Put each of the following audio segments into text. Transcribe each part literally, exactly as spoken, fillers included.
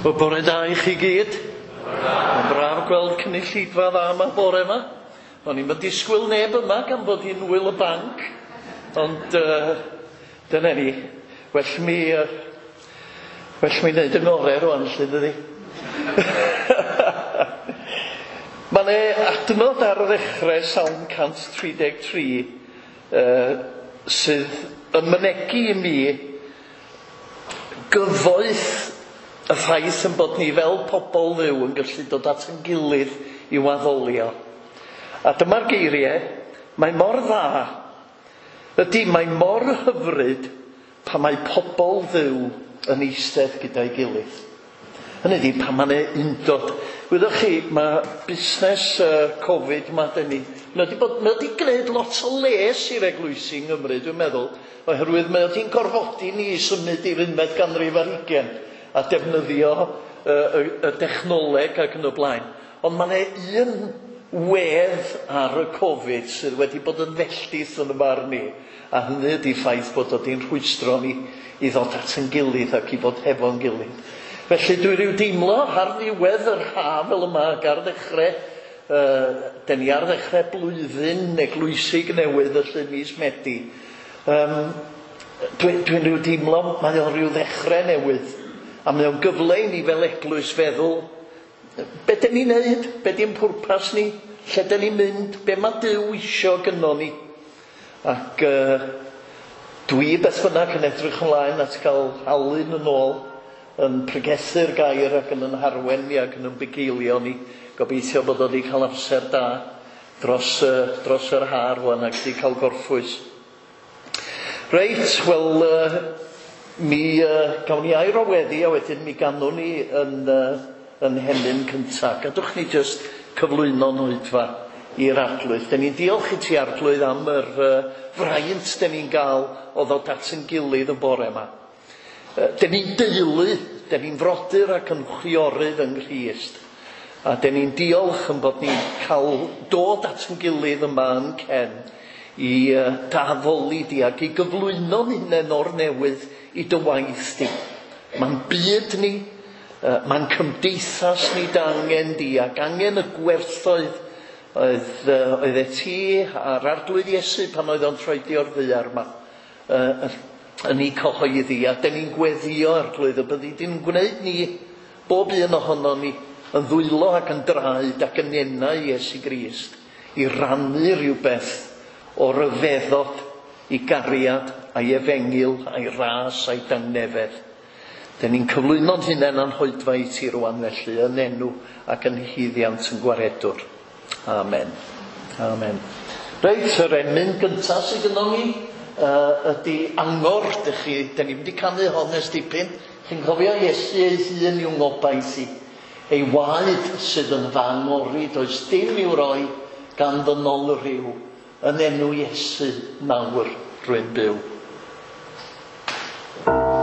Wel, bore da i chi gyd. Mae'n braf gweld cynulleidfa dda yma bore yma. O'n i'm yn disgwyl neb yma gan bod hi'n wyl y banc. Ond uh, dyna ni. Well mi, uh, well mi wneud yn orau rwan, lle dydi. Mae 'na adnod ar ddechrau Salm cant tri deg tri uh, sydd yn mynegi i mi gyfoeth y ffaith yn bod ni fel pobl Dduw yn gallu dod at ein gilydd i waddolio. A dyma'r geiriau, mae mor dda, ydy mae mor hyfryd pan mae pobl Dduw yn eistedd gyda'i gilydd. Hynny ydy, pan mae'n undod. Wyddoch chi, mae busnes uh, Covid yma, dyn ni, mae wedi bod, mae wedi gwneud lot o les i'r eglwysi yng Nghymru, dwi'n meddwl, oherwydd mae wedi'n gorfodi ni i symud i'r unfed ganrif ar hugain a defnyddio uh, y, y dechnoleg ac yn y blaen. Ond mae yna un wedd ar y Covid sydd wedi bod yn felltith yn y barn ni, a hynny ydy ffaith bod o wedi'n rhwystro ni i ddod at ein gilydd ac i fod hefo'n gilydd. Felly dwi ryw deimlo ar ddiwedd yr haf fel yma ac ar ddechrau, uh, den ni ar ddechrau blwyddyn eglwysig newydd felly mis Medi. Um, Dwi'n dwi rhyw deimlo mae o'n rhyw ddechrau newydd. A mae o'n gyfle i ni fel eglwys feddwl, be dyn ni'n neud, be di'n pwrpas ni, lle dyn ni'n mynd, be mae Duw isio gynno ni. Ac uh, dwi beth bynnag yn edrych ymlaen at gael Alun yn ôl, yn pregethu'r gair ac yn yn harwen ni ac yn yn bugeilio ni. Gobeithio bod o wedi cael amser da dros, uh, dros yr ha rwan ac wedi cael gorffwys. Reit, wel, uh, mi uh, gawn ni air o weddi a wedyn mi ganwn ni yn, uh, yn hemyn cyntaf. Gadwch ni jyst cyflwyno'n oedfa i'r Arglwydd. Den ni'n diolch i ti, Arglwydd, am yr uh, fraint den ni'n gael o ddod at ein gilydd y bore yma. Uh, den ni'n deulu, den ni'n frodyr ac yn chwiorydd yng Nghrist. A den ni'n diolch yn bod ni'n cael dod at ein gilydd yma yn Cen i uh, daddoli di ac i gyflwyno'n hunain o'r newydd i dy waith di. Mae'n byd ni, uh, mae'n cymdeithas ni dy angen di ac angen y gwerthoedd oedd, uh, oedd e ti a'r Arglwydd Iesu pan oedd o'n troedio'r ddaear yma uh, yn ei cyhoeddi. A den ni'n gweddio, Arglwydd, y byddi di'n gwneud ni, bob un ohono ni, yn ddwylo ac yn draed ac yn enau Iesu Grist i rannu rhywbeth o ryfeddod i gariad a'i efengyl, a'i ras, a'i dangnefedd. Den ni'n cyflwyno'n hunain a'n hoedfa i ti rwan felly, yn enw ac yn hyddiant yn gwaredwr. Amen. Amen. Reit, yr emyn gyntaf sydd gynnon ni uh, ydy Angor. Dych chi, den ni'n mynd i canu hon ers dipyn. Chi'n cofio Iesu ei hun i'w ngobaith i. Ei waed sydd yn fy angori, does dim i'w roi gan ddynol rhyw. Yn enw Iesu nawr rwy'n byw. Yes,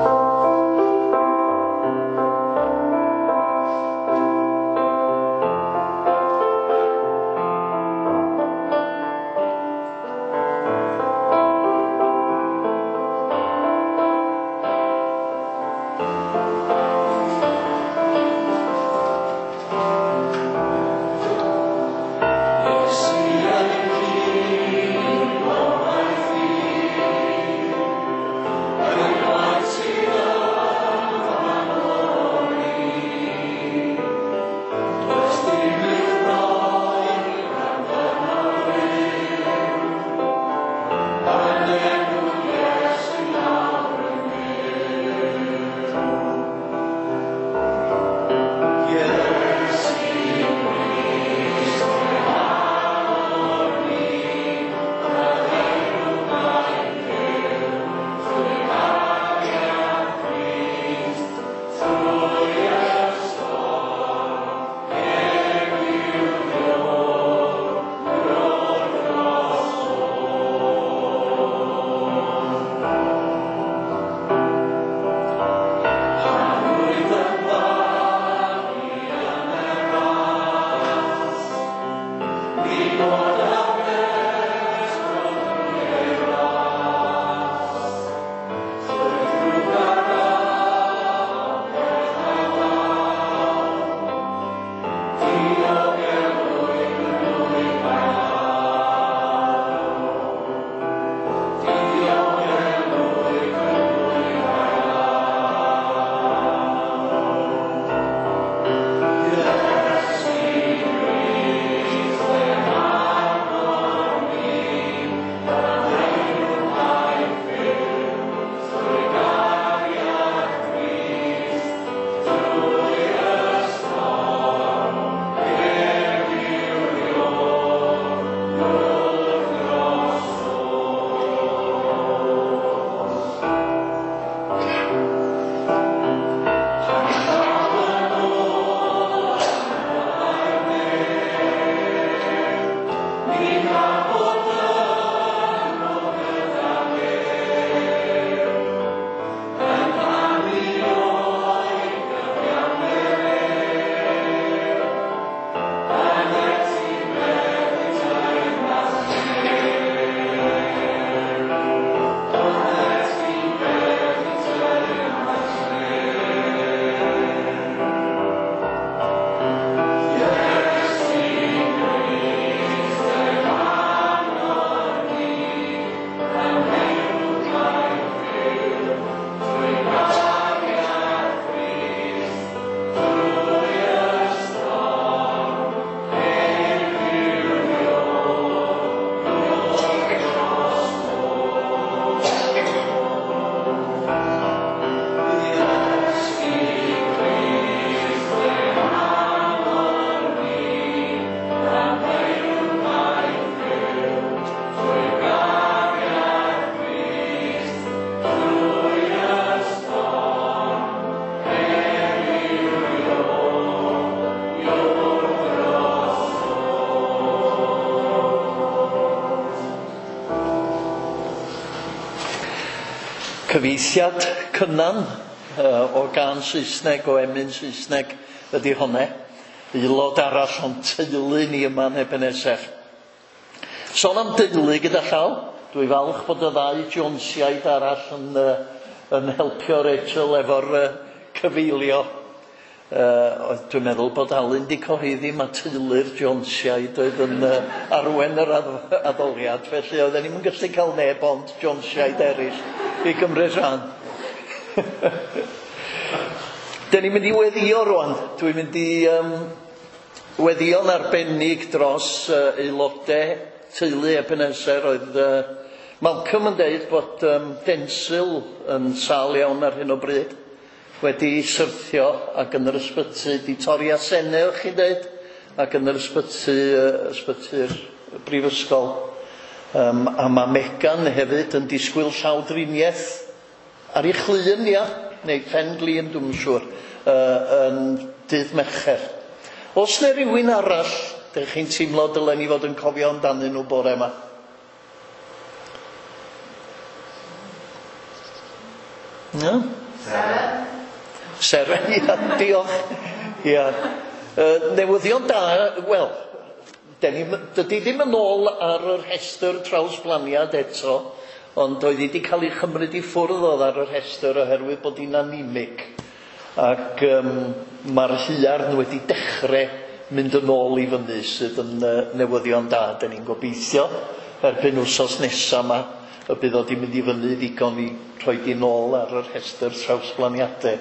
Cyfieithiad Cynan uh, o gân Saesneg, o emyn Saesneg ydy honne. Aelod arall o'n teulu ni yma yn Ebeneser. Sôn am deulu gyda llaw, dwi falch bod y ddau Jonesiaid arall yn, uh, yn helpio Rachel efo'r uh, cyfeilio. Uh, dwi'n meddwl bod Alun di cyhoeddi ma teulu'r Jonesiaid oedd yn uh, arwen yr addoliad, felly oedden ni'm yn gallu cael neb ond Jonesiaid eraill i gymryd rhan. Dyn ni'n mynd i weddio rwan. Dwi'n mynd i um, weddio'n arbennig dros uh, aelodau teulu Ebenezer. Oedd uh, Malcolm yn deud bod um, Densil yn sâl iawn ar hyn o bryd, wedi syrthio ac yn yr ysbyty, di torri asennau, o'ch chi'n deud, ac yn yr ysbyty, uh, ysbyty'r brifysgol. Um, a mae Megan hefyd yn disgwyl llawdriniaeth ar ei chlun, ia, neu pen glin, dwi'm yn siŵr, uh, yn dydd Mercher. Oes 'na rywun arall, dych chi'n teimlo dylen ni fod yn cofio amdanyn nhw bore yma? No? Seren. Seren, ia, diolch. Ia. Uh, newyddion da, wel, dydy ddim yn ôl ar yr rhestr trawsblaniad eto, ond oedd hi wedi cael ei chymryd i ffwrdd oedd ar y rhestr oherwydd bod hi'n anemic. Ac um, mae'r huarn wedi dechrau mynd yn ôl i fyny, sydd yn uh, newyddion da. Dyn ni'n gobeithio erbyn wsos nesaf yma y bydd o wedi mynd i fyny ddigon i rhoi di nôl ar y rhestr trawsblaniadau.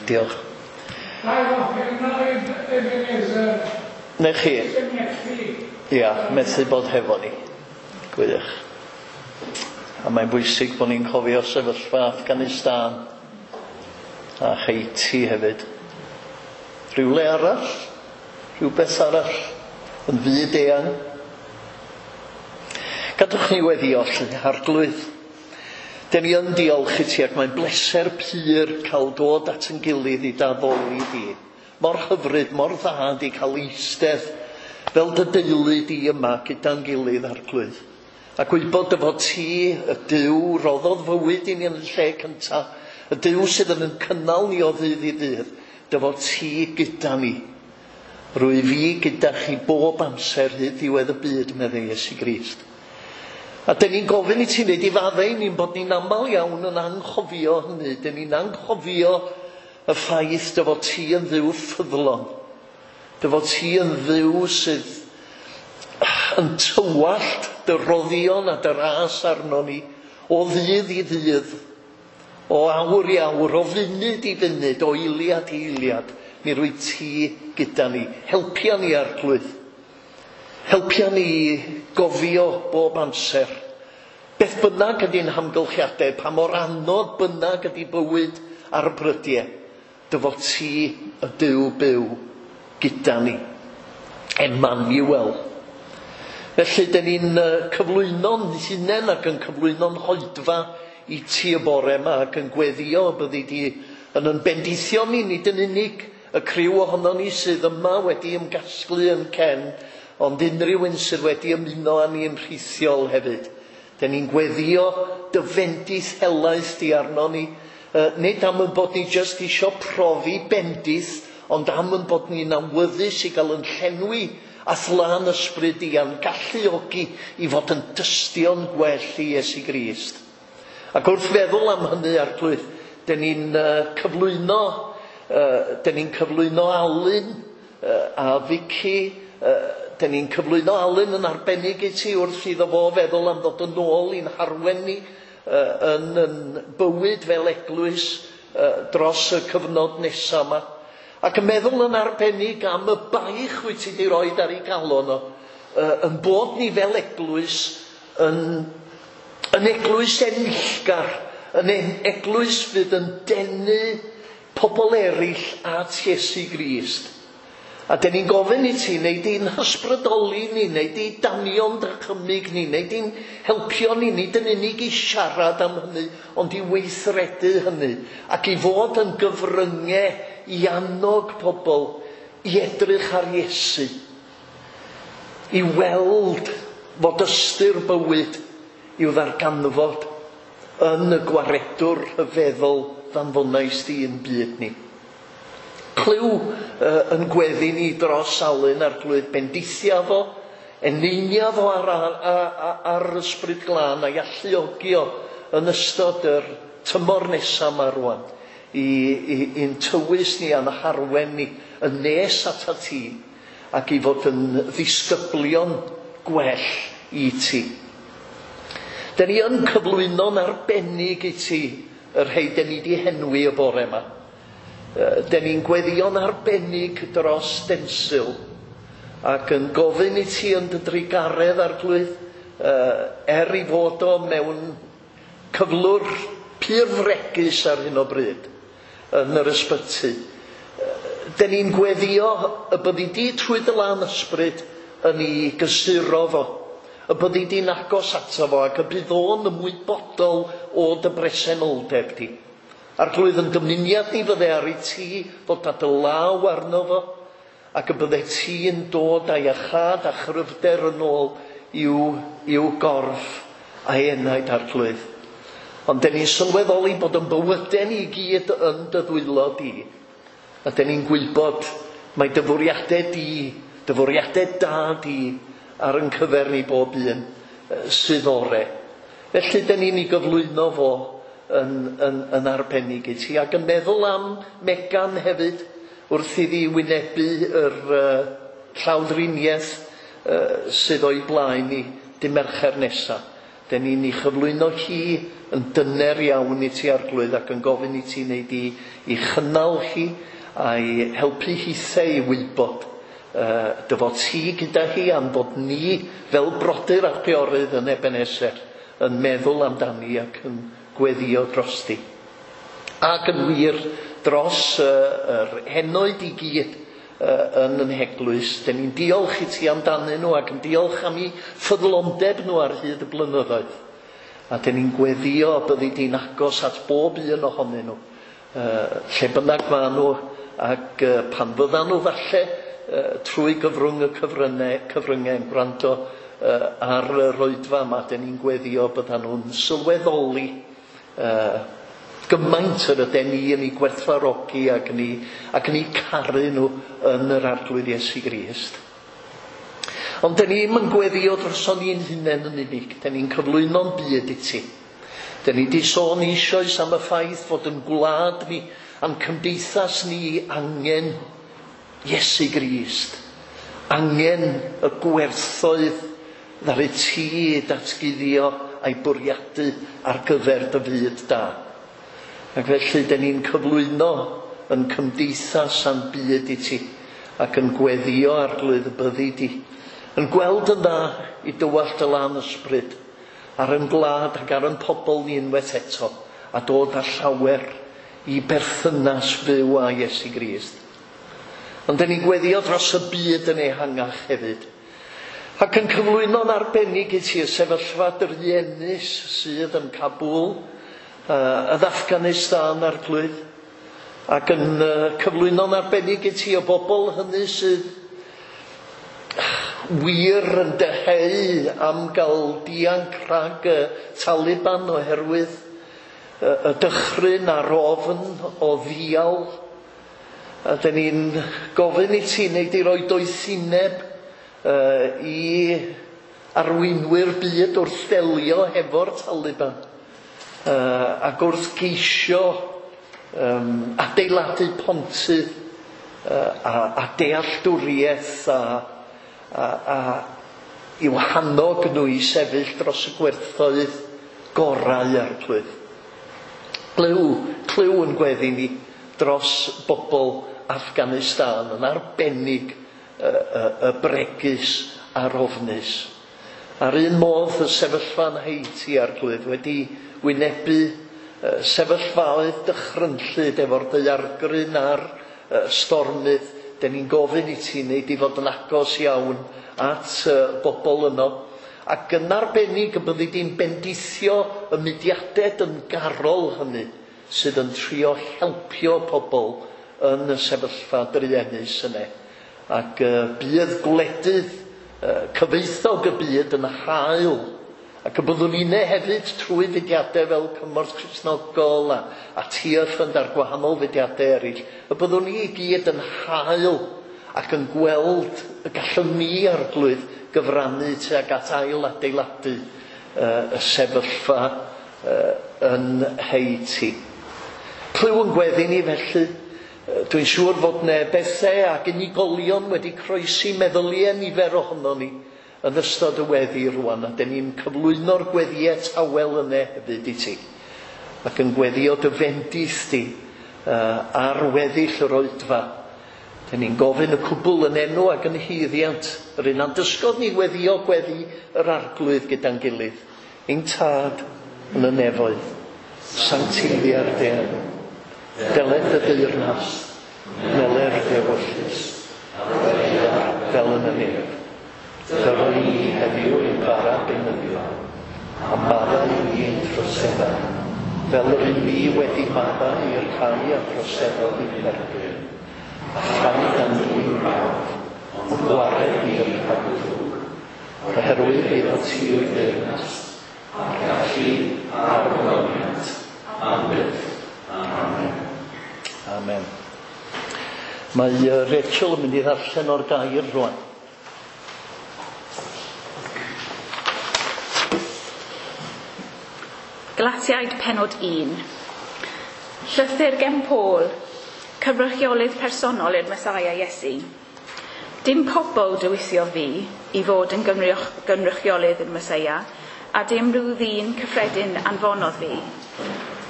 Diolch. Neu chi? Ia, methu bod hefo ni. Gwych. A mae'n bwysig bod ni'n cofio sefyllfa Afghanistan a Haiti hefyd. Rhywle arall, rhywbeth arall yn fyd eang. Gadwch ni weddio, Arglwydd. Dyn ni yn diolch i ti ac mae'n bleser pur cael dod at yn gilydd i d'addoli di. Mor hyfryd, mor dda di cael eistedd fel dy deulu di yma gyda'n gilydd, Arglwydd. A gwybod dy fod ti, y Duw, roddodd fywyd i ni yn y lle cyntaf, y Duw sydd yn cynnal ni o ddydd i ddydd, dy fod ti gyda ni. Rwy fi gyda chi bob amser hyd ddiwedd y byd, meddai Iesu Grist. A dyn ni'n gofyn i ti wneud i faddau ni'n bod ni'n aml iawn yn anghofio hynny. Dyn ni'n anghofio y ffaith dy fod ti yn Dduw ffyddlon. Dy fod ti yn Dduw sydd yn tywallt dy roddion a dy ras arno ni o ddydd i ddydd, o awr i awr, o funud i funud, o eiliad i eiliad. Mi rwy ti gyda ni. Helpia ni, Arglwydd. Helpia ni gofio bob amser. Beth bynnag ydy'n hamgylchiadau, pa mor anodd bynnag ydy bywyd ar y brydiau, dy fod ti y Duw byw gyda ni. Emmanuel. Felly, dyn ni'n cyflwyno'n hunain ac yn cyflwyno'n hoedfa i ti y bore yma ac yn gweddio byddi di yn yn bendithio ni, nid yn unig y criw ohono ni sydd yma wedi ymgasglu yn Cen, ond unrhyw un sydd wedi ymuno â ni yn rhithiol hefyd. Dyn ni'n gweddio dy fendith helaeth di arno ni, uh, nid am yn bod ni jyst isio profi bendith, ond am yn bod ni'n awyddus i gael yn llenwi a thlân ysbryd i a'n galluogi i fod yn dystion gwell i Iesu Grist. Ac wrth feddwl am hynny, Arglwydd, dyn ni'n uh, cyflwyno, uh, dyn ni'n cyflwyno Alun uh, a Vicky, uh, dyn ni'n cyflwyno Alun yn arbennig i ti wrth iddo fo feddwl am ddod yn ôl i'n harwen ni uh, yn, yn bywyd fel eglwys uh, dros y cyfnod nesaf yma. Ac yn meddwl yn arbennig am y baich wyt ti wedi roed ar ei galon o, uh, yn bod ni fel eglwys yn, yn eglwys enillgar, yn eglwys fydd yn denu pobl eraill at Iesu Grist. A dyn ni'n gofyn i ti, neu di'n hysbrydoli ni, neu di danio'n dychymyg ni, neu di'n helpio ni, nid yn unig i siarad am hynny, ond i weithredu hynny, ac i fod yn gyfryngau i annog pobl i edrych ar Iesu, i weld fod ystyr bywyd i'w ddarganfod yn y gwaredwr rhyfeddol ddanfonais di yn byd ni. Clyw uh, yn gweddi ni dros Alun Arglwydd, bendithia fo, eneinia fo ar, ar, ar, ar ysbryd glân a'i alluogi o yn ystod yr tymor nesaf yma rwan i, i, i'n tywys ni a'n harwen ni yn nes atat ti ac i fod yn ddisgyblion gwell i ti. Den ni yn cyflwyno'n arbennig i ti y rhai den ni di henwi y bore yma. Den ni'n gweddio'n arbennig dros Densil ac yn gofyn i ti yn dy drugaredd Arglwydd, er i fod o mewn cyflwr pur fregus ar hyn o bryd yn yr ysbyty. Den ni'n gweddio y byddi di trwy dy lan ysbryd yn ei gysuro fo, y byddi di'n agos ato fo ac y bydd o'n ymwybodol o dy bresenoldeb di. Arglwydd, yn dymuniad ni fydde ar i ti fod â dy law arno fo ac y bydde ti'n dod â'i iachâd a chryfder yn ôl i'w, i'w gorff a'i enaid, Arglwydd. Ond den ni'n sylweddoli bod yn bywydau ni i gyd yn dy ddwylo di. A den ni'n gwybod mae dy fwriadau di, dy fwriadau da di ar yn cyfer ni bob un sydd ore. Felly den ni'n ei gyflwyno fo yn, yn, yn arbennig i ti. Ac yn meddwl am Megan hefyd wrth iddi wynebu yr uh, llawdriniaeth uh, sydd o'i blaen i dy Mercher nesaf. Den ni'n ei chyflwyno hi yn dyner iawn i ti, Arglwydd, ac yn gofyn i ti wneud i, i chynnal hi a'i helpu hithau i wybod uh, dy fod ti gyda hi am bod ni fel brodyr a chwiorydd yn Ebenezer yn meddwl amdani ac yn gweddio drosti. Ac yn wir dros uh, yr henoed i gyd uh, yn yn heglwys, den ni'n diolch i ti amdanyn nhw ac yn diolch am eu ffyddlondeb nhw ar hyd y blynyddoedd. A den ni'n gweddio byddi di'n agos at bob un ohonyn nhw, uh, lle bynnag maen nhw, ac uh, pan fyddan nhw falle uh, trwy gyfrwng y cyfryngau, cyfryngau yn gwrando uh, ar yr oedfa yma, den ni'n gweddio byddan nhw'n sylweddoli uh, gymaint yr ydyn ni yn ei gwerthfawrogi ac yn ei, ac yn ei caru nhw yn yr Arglwydd Iesu Grist. Ond den ni'm yn gweddio droson ni'n hunain yn unig, den ni'n cyflwyno'n byd i ti. Den ni di sôn eisoes am y ffaith fod yn gwlad ni, a'n cymdeithas ni angen Iesu Grist, angen y gwerthoedd ddaru ti datguddio a'i bwriadu ar gyfer dy fyd da. Ac felly den ni'n cyflwyno yn cymdeithas a'n byd i ti ac yn gweddio Arglwydd y byddi di, yn gweld yn dda i dywallt y lan ysbryd ar yn gwlad ac ar yn pobl ni unwaith eto a dod â llawer i berthynas fyw â Iesu Grist. Ond den ni'n gweddio dros y byd yn ehangach hefyd ac yn cyflwyno'n arbennig i ti y sefyllfa druenus sydd yn Kabul, uh, yn Afghanistan, Arglwydd, ac yn uh, cyflwyno'n arbennig i ti y bobl hynny sydd wir yn dyheu am gael dianc rhag y Taliban oherwydd y, y dychryn a'r ofn o ddial. A den ni'n gofyn i ti wneud i roi doethineb uh, i arweinwyr byd wrth delio hefo'r Taliban uh, ac wrth geisio um, adeiladu pontydd uh, a, a dealltwriaeth a, a, a i'w hannog nhw i sefyll dros y gwerthoedd gorau, Arglwydd. Clyw, clyw yn gweddi ni dros bobl Afghanistan, yn arbennig y, y, y bregus a'r ofnus. A'r un modd y sefyllfa yn Haiti, Arglwydd, wedi wynebu sefyllfaoedd dychrynllyd efo'r daeargryn a'r stormydd. Den ni'n gofyn i ti wneud i fod yn agos iawn at bobl yno. Ac yn arbennig y byddi di'n bendithio y mudiadau dyngarol hynny sydd yn trio helpio pobl yn y sefyllfa druenus yna. Ac uh, bydd gwledydd uh, cyfoethog y byd yn hael Ac y byddwn ni'n hefyd trwy fudiadau fel Cymorth Cristnogol a, a Tearfund a'r gwahanol fudiadau eraill, y byddwn ni i gyd yn hael ac yn gweld y gallwn ni, Arglwydd, gyfrannu tuag at ail adeiladu uh, y sefyllfa uh, yn Haiti. Clyw yn gweddi ni felly. Dwi'n siŵr fod ne bethau ac unigolion wedi croesi meddyliau nifer ohono ni yn ystod y weddi rwan, a dyn ni'n cyflwyno'r gweddïau tawel yna hefyd i ti, ac yn gweddio dy fendith di uh, ar weddill yr oedfa. Dyn ni'n gofyn y cwbl yn enw ac yn haeddiant yr un a'n dysgodd ni weddio gweddi yr Arglwydd gyda'n gilydd. Ein Tad yn y nefoedd, sancteiddia'r dy enw, deled dy deyrnas, wneler dy ewyllys, fel yn y nef. Dyro i ni heddiw ein bara beunyddiol, a maddau i ni ein troseddau, fel yr un ni wedi maddau i'r rhai a droseddodd i'n erbyn, a phaid â'n dwyn brawf, ond gwared ni rhag y drwg, oherwydd eiddo ti yw'r deyrnas, a'r gallu a'r ogoniant, am byth. Amen. Amen. Mae Rachel yn mynd i ddarllen o'r gair rwan. Galatiaid penod un. Llythyr gen Paul, cyfrychiolydd personol i'r Mesaia Iesu. Dim pobl dewisiodd fi i fod yn gynrychiolydd i'r Mesaia, a dim rhyw ddyn cyffredin anfonodd fi,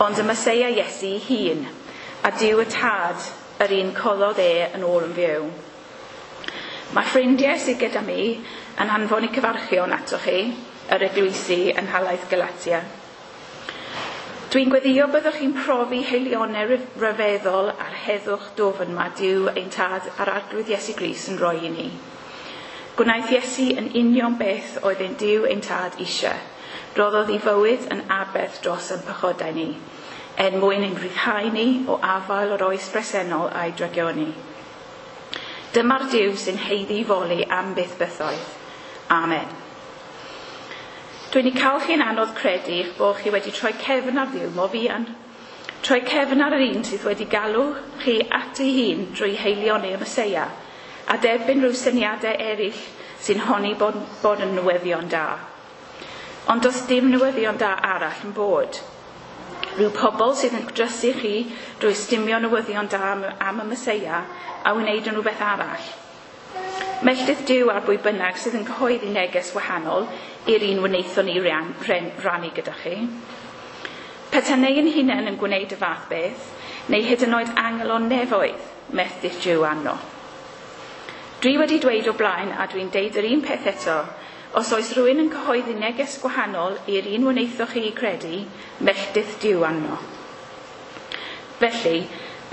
ond y Mesaia Iesu hun, a Duw y Tad, yr un coddodd e yn ôl yn fyw. Mae ffrindiau sydd gyda mi yn anfon eu cyfarchion atoch chi, yr eglwysi yn nhalaith Galatia. Dwi'n gweddio byddwch chi'n profi heilionau ryfeddol a'r heddwch dwfn mae Duw ein Tad a'r Arglwydd Iesu Grist yn rhoi i ni. Gwnaeth Iesu yn union beth oedd ein Duw ein Tad eisiau. Roddodd ei fywyd yn aberth dros ein pechodau ni, er mwyn ein rhyddhau ni o afael o'r oes bresennol a'i drygioni. Dyma'r Duw sy'n haeddu foli am byth bythoedd. Amen. Dwi'n ei cael chi'n anodd credu eich bod chi wedi troi cefn ar Dduw mor fuan. Troi cefn ar yr un sydd wedi galw chi at ei hun drwy heilioni y Meseia, a derbyn rhyw syniadau eraill sy'n honni bod, bod yn newyddion da. Ond does dim newyddion da arall yn bod. Rhyw pobl sydd yn drysu chi drwy stumio newyddion da am, am y Meseia a wneud yn rhywbeth arall. Melltith Duw ar bwy bynnag sydd yn cyhoeddi neges wahanol i'r un wnaethon ni ran, ran, rannu gyda chi. Petai ein hunain yn gwneud y fath beth, neu hyd yn oed angel o nefoedd, melltith Duw arno. Dwi wedi dweud o blaen, a dwi'n deud yr un peth eto, os oes rhywun yn cyhoeddi neges gwahanol i'r un wnaethoch chi credu, melltith Duw arno. Felly,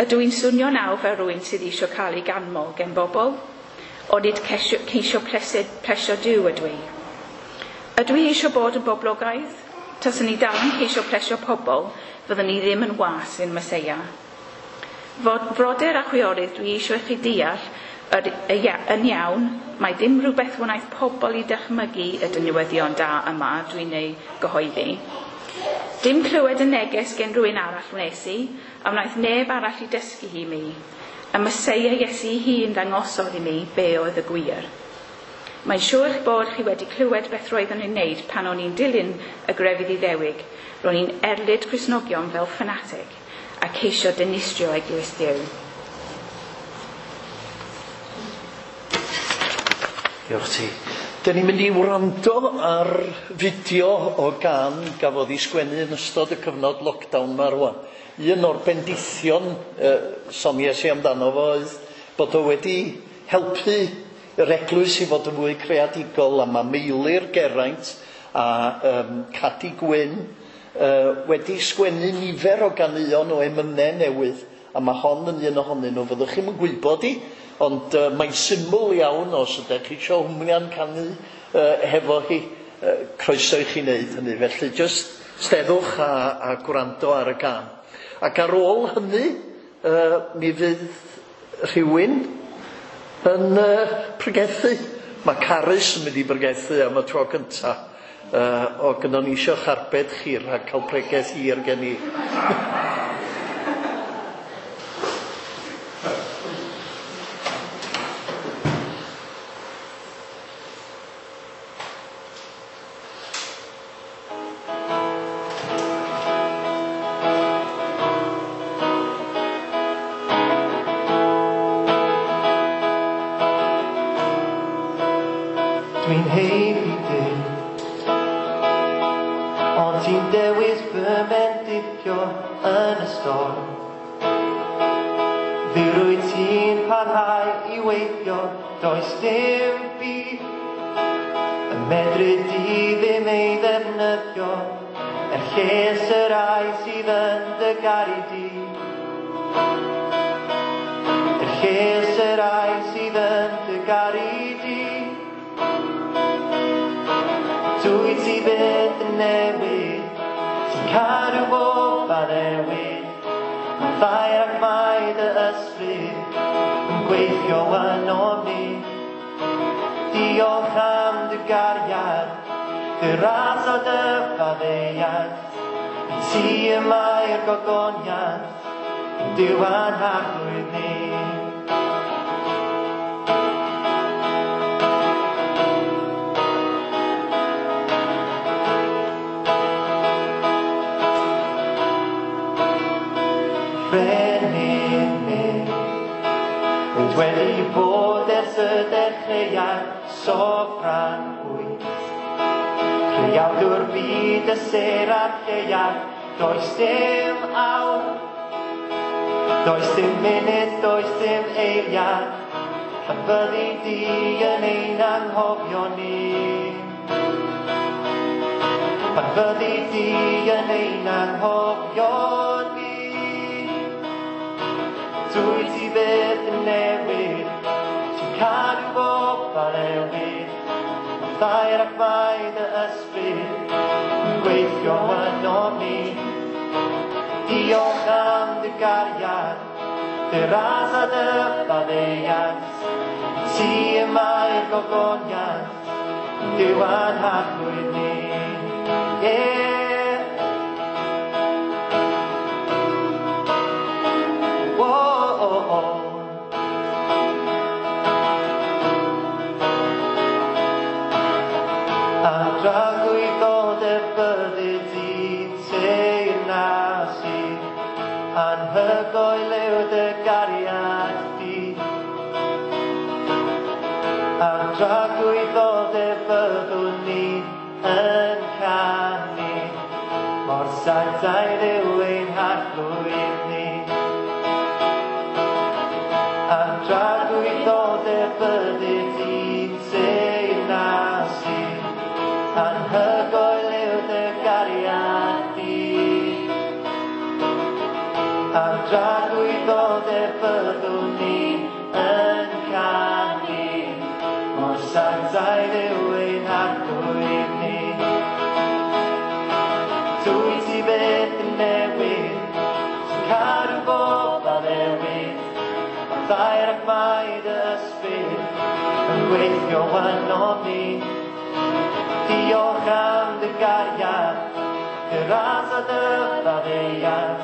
ydw i'n swnio nawr fel rhywun sydd eisiau cael ei ganmol gen bobl? Onid ceisio, ceisio plesio Duw ydw i? Ydw i eisiau bod yn boblogaidd? Taswn i dal yn ceisio plesio pobl, fyddwn i ddim yn was i'r Meseia. Fod frodyr a chwiorydd, dwi eisiau i chi deall yr, y, yn iawn, mae ddim rhywbeth wnaeth pobl i dychmygu y newyddion da yma dwi'n ei gyhoeddi. Dim clywed y neges gen rhywun arall wnes i, a wnaeth neb arall i dysgu hi mi. Y Meseia Iesu hun ddangosodd i mi be oedd y gwir. Mae'n siŵr eich bod chi wedi clywed beth roeddwn i'n wneud pan o'n i'n dilyn y grefydd Iddewig. Ro'n i'n erlid Cristnogion fel ffanatig a ceisio dinistrio eglwys Duw. Diolch ti. Dyn ni'n mynd i wrando ar fideo o gan gafodd ei sgwennu yn ystod y cyfnod lockdown ma rwan. Un o'r bendithion uh, soniais i amdano fo oedd bod o wedi helpu yr eglwys i fod yn fwy creadigol, a mae Meilir Geraint a um, Cadi Gwyn uh, wedi sgwennu nifer o ganeuon o emynau newydd, a mae hon yn un ohonyn nhw. Fyddwch chi'm yn gwybod i, ond uh, mae'n syml iawn os ydych chi eisiau hwmian canu uh, hefo hi, uh, croeso i chi wneud hynny. Felly jyst steddwch a, a gwrando ar y gân. Ac ar ôl hynny, uh, mi fydd rhywun yn uh, pregethu. Mae Carys yn mynd i bregethu am y tro cyntaf. Uh, o gynnon ni eisiau charbed chi rhag cael pregeth hir gen i. Dwi'n heiddi dim, ond ti'n dewis fy mendithio yn y storm. Fe rwyt ti'n parhau i weithio, does dim byd y medru di ddim ei ddefnyddio, er lles y rai sydd yn dy garu di. Er lles y rai sydd yn dy garu di. Dwyt ti byth yn newid, ti'n cadw bob addewid. Mae ddaear ac mae dy ysbryd yn gweithio ynom ni. Diolch am dy gariad, dy ras a dy faddeuant. I ti y mae'r gogoniant, yn Duw a'n harglwydd ni. Frenin, wyt wedi bod ers y dechreuad, sofran wyt. Creawdwr byd y sêr a'r lleuad, does dim awr, does dim munud, does dim eiliad, pan fyddi di yn ein anghofio ni. Pan fyddi di yn ein anghofio ni. Dwyt ti byth yn newid, ti'n cadw bob addewid. Mae ddaear ac mae dy ysbryd yn gweithio ynom ni. Diolch am dy gariad, dy ras a dy faddeuant. I ti y mae'r gogoniant, yn Duw a'n harglwydd ni. Yeah. A dragwyddoldeb byddi di'n teyrnasu, anhygoel yw dy gariad di. A dragwyddoldeb byddwn ni yn canu, mor sanctaidd yw ein harglwydd ni. A dragwyddoldeb byddi di'n teyrnasu, anhygoel yw dy gariad di. A dragwyddoldeb byddwn ni yn canu, mor sanctaidd yw ein harglwydd ni. Dwyt ti byth yn newid, ti'n cadw bob addewid. Mae ddaear ac mae dy ysbryd yn gweithio ynom ni. Diolch am dy gariad, dy ras a dy faddeuant.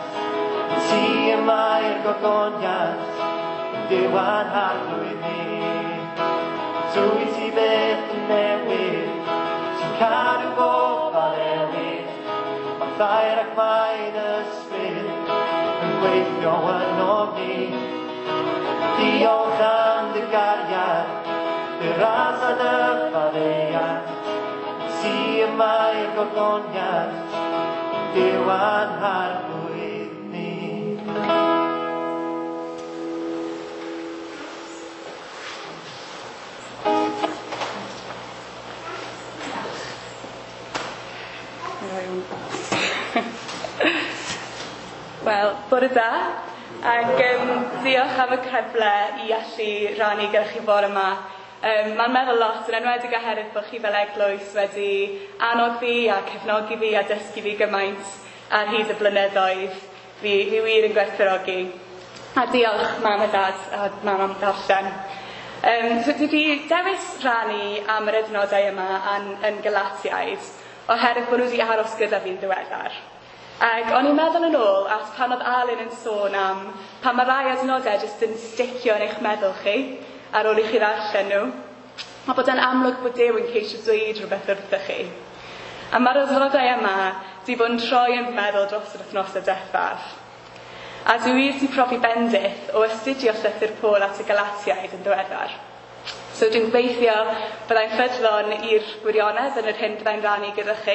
I ti y mae'r gogoniant, yn Duw a'n harglwydd ni. Dwyt ti byth yn newid, ti'n cadw bob addewid. Mae ddaear ac mae dy ysbryd yn gweithio ynom ni. Diolch am dy gariad, dy ras a dy faddeuant. Ti y mae'r gogoniant, Duw a'n harglwydd ni. Wel, bore da, ac um, diolch am y cyfle i allu rannu gyda chi bore yma. Um, mae'n meddwl lot, yn enwedig oherwydd bod chi fel eglwys wedi annog fi a cefnogi fi a dysgu fi gymaint ar hyd y blynyddoedd. Fi, fi wir yn gwerthfawrogi. A diolch mam a dad a mam am ddarllen. Um, so dwi wedi dewis rannu am yr adnodau yma yn, yn Galatiaid, oherwydd bod nhw wedi aros gyda fi'n ddiweddar. Ac o'n i'n meddwl yn ôl at pan oedd Alun yn sôn am pan mae rai adnodau jyst yn sticio yn eich meddwl chi ar ôl i chi ddarllen nhw, a bod e'n amlwg bod Duw yn ceisio dweud rhywbeth wrthych chi. A mae'r adnodau yma wedi bod yn troi yn meddwl dros yr wythnosau diwethaf. A dwi wir wedi profi bendith o astudio llythyr Paul at y Galatiaid yn ddiweddar. So dwi'n gobeithio byddai'n ffyddlon i'r gwirionedd yn yr hyn byddai'n rannu gyda chi,